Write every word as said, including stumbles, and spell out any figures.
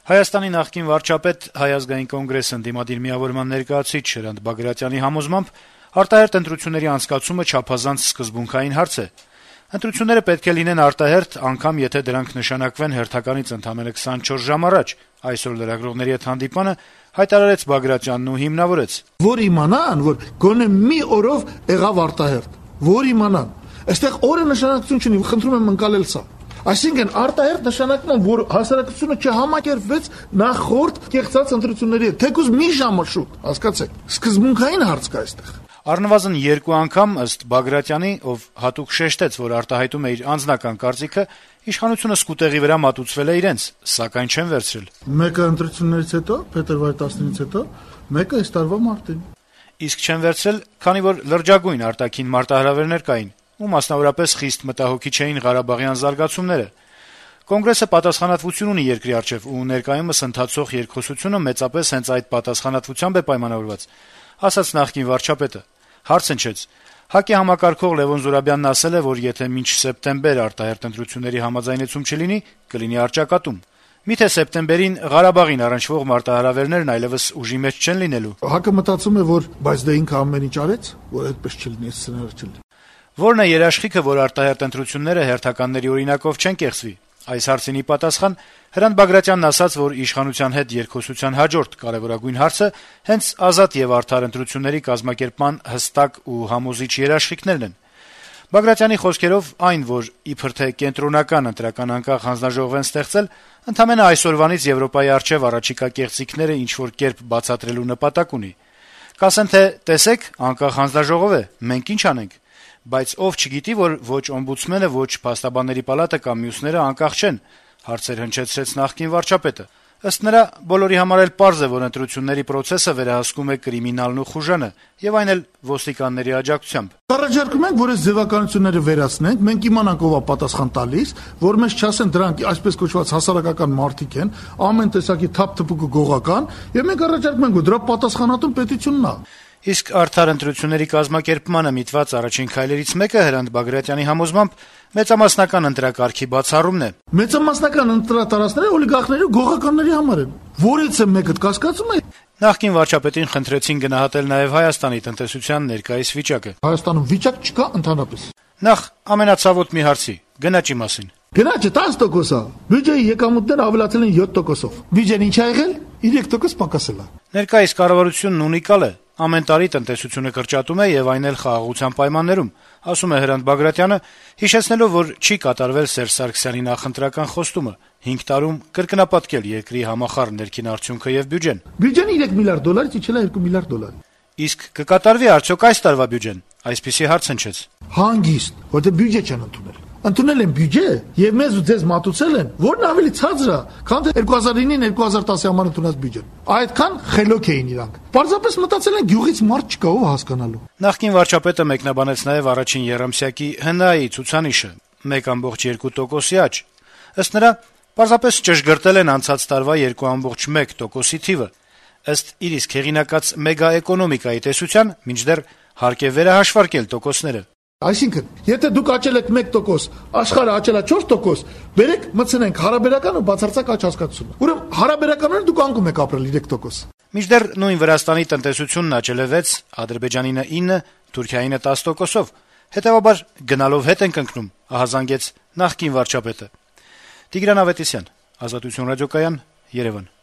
Հայաստանի նախկին վարչապետ, Հայ ազգային կոնգրես ընդդիմադիր միավորման ներկայացուցիչ Հրանտ Բագրատյանի համոզմամբ արտահերթ ընտրությունների անցկացումը չափազանց սկզբունքային հարց է։ Ընտրությունները պետք է լինեն արտահերթ, անգամ եթե դրանք նշանակվեն հերթականից ընդամենը քսանչորս ժամ առաջ։ Այսօր լրագրողների հետ հանդիպանը հայտարարեց Բագրատյանն ու հիմնավորեց. Որ իմանան, որ գոնե մի օրով եղավ արտահերթ, որ իմանան։ Այստեղ օրը նշանակություն չունի, խնդրում եմ ընկալել սա։ Այսինքն արտահերթ նշանակում է, որ հասարակությունը չհամակերպվեց նախորդ կեղծած ընտրությունների հետ, թեկուզ մի ժամը շուտ, հասկացեք։ Սկզբունքային հարց կա այստեղ։ Առնվազն երկու անգամ, ըստ Բագրատյանի, ով հատուկ շեշտեց, որ արտահայտում է իր անձնական կարծիքը, իշխանությունը սկուտեղի վրա մատուցվել է իրենց, սակայն չեն վերցրել։ Մեկը ընտրություններից հետո, փետրվարի տասնինից հետո, մեկը այս տարվա մարտին։ Իսկ չեն վերցրել, քանի որ լրջագույն արտաքին մարտահրավերներ կային, ու մասնավորապես խիստ մտահոգիչ էին Ղարաբաղյան զարգացումները։ Կոնգրեսը պատասխանատվություն ունի երկրի առջև ու ներկայումս ընթացող երկխոսությունը մեծապես հենց այդ պատասխանատվությամբ է պայմանավորված, ասաց նախկին վարչապետը։ Հարց հնչեց. ՀԱԿ-ի համակարգող Լևոն Զուրաբյանն ասել է, որ եթե մինչ սեպտեմբեր արտահերթ ընտրությունների համաձայնեցում չլինի, կլինի առճակատում։ Միթե սեպտեմբերին Ղարաբաղին առնչվող մարտահրավերներն այլևս ուժի մեջ չեն լինելու։ ՀԱԿ-ը մտածում է, որ բայց դե ինքը ամեն ինչ արեց, որ այդպես չլինի, այս սցենարը չլինի։ Որն է երաշխիքը, որ արտահերթ ընտրությունները հերթականների օրինակով չեն կեղծվի։ Այս հարցինի պատասխան Հրանտ Բագրատյանն ասաց, որ իշխանության հետ երկխոսության հաջորդ կարեւորագույն հարցը հենց ազատ եւ արդար ընտրությունների կազմակերպման հստակ ու համոզիչ երաշխիքներն են։ Բագրատյանի խոսքերով այն, որ իբր թե կենտրոնական ընտրական անկախ հանձնաժողով են ստեղծել, ընդամենը այսօրվանից Եվրոպայի առջեւ առաջիկա կեղծիքները ինչ-որ կերպ բացատրելու նպատակ ունի։ Կասեն, թե տեսեք, անկախ հանձնաժողով է, մենք ինչ անենք։ Բայց ով չգիտի, որ ոչ օմբուդսմենը, ոչ փաստաբանների պալատը կամ մյուսները անկախ չեն, հարցեր հնչեցրեց նախկին վարչապետը։ Ըստ նրա, բոլորի համար էլ պարզ է, որ ընտրությունների process-ը վերահսկում է կրիմինալն ու խուժանը, եւ այն էլ ոստիկանների աջակցությամբ։ Առաջարկում ենք, որ այս ձևականությունները վերացնենք, մենք իմանանք ով է պատասխան տալիս, որ մեզ չասեն դրանք այսպես կոչված հասարակական մարդիկ են, ամեն տեսակի թափ-թփուկը գողական, եւ մենք առաջարկում ենք, որ դրա պատասխանատուն պետությունն է։ Իսկ արդար ընտրությունների կազմակերպմանը միտված առաջին քայլերից մեկը Հրանտ Բագրատյանի համոզմամբ մեծամասնական ընտրակարգի բացառումն է։ Մեծամասնական ընտրատարածքները օլիգարխների ու գողականների համար են։ Որից է մեկը կասկածում է։ Նախկին վարչապետին խնդրեցին գնահատել նաև Հայաստանի տնտեսության ներկայիս վիճակը։ Հայաստանում վիճակ չկա ընդհանրապես։ Նախ ամենացավոտ մի հարցի՝ գնաճի մասին։ Գնաճը տասը տոկոս է։ Բյուջեի եկամուտները ավելացել են յոթ տոկոսով։ Բյուջեն ինչ ա եղել։ երեք տոկոս պակասել է։ Ներկայիս կառավարությունն ունիկալ է։ Ամեն տարի տնտեսությունը կրճատում է եւ այն էլ խաղաղության պայմաններում, ասում է Հրանտ Բագրատյանը, հիշեցնելով, որ չի կատարվել Սերժ Սարգսյանի նախընտրական խոստումը հինգ տարում կրկնապատկել երկրի համախառն ներքին արդյունքը եւ բյուջեն։ Բյուջեն երեք միլիարդ դոլարից իջել է երկու միլիարդ դոլարի։ Իսկ կկատարվի արդյոք այս տարվա բյուջեն։ Այսպիսի հարց հնչեց։ Հանգիստ, որտեղ բյուջե չեն ընդունել։ Ընդունել են բյուջե եւ մեզ ու ձեզ մատուցել են, որն ավելի ցածր է, քան թե երկու հազար ինին երկու հազար տասի համար ընդունած բյուջեն։ Այդքան խելոք էին իրանք։ Պարզապես մտածել են գյուղից մարդ չկա ով հասկանալու։ Նախկին վարչապետը մեկնաբանեց նաեւ առաջին երամսյակի ՀՆԱ-ի ցուցանիշը՝ մեկ կόμma երկու տոկոսի աճ։ Ըստ նրա, պարզապես ճշգրտել են անցած տարվա երկու կόμma մեկ տոկոսի թիվը։ Ըստ իր իսկ հեղինակած մեգա էկոնոմիկայի տեսության, մինչդեռ հարկ է վերահաշվարկել տոկոսները։ Այսինքն, եթե դուք աճել եք մեկ տոկոս, աշխարհը աճել է չորս տոկոս, բերեք մտցնենք հարաբերական ու բացարձակ աճ հասկացությունը։ Ուրեմն հարաբերականորեն դուք անկում եք ապրել երեք տոկոս։ Մինչդեռ նույն Վրաստանի տնտեսությունն աճել է վեց, Ադրբեջանինը ինը, Թուրքիայինը տասը տոկոսով։ Հետևաբար գնալով հետ ենք ընկնում, ահազանգեց նախկին վարչապետը։ Տիգրան Ավետիսյան, Ազատություն ռադիոկայան, Երևան։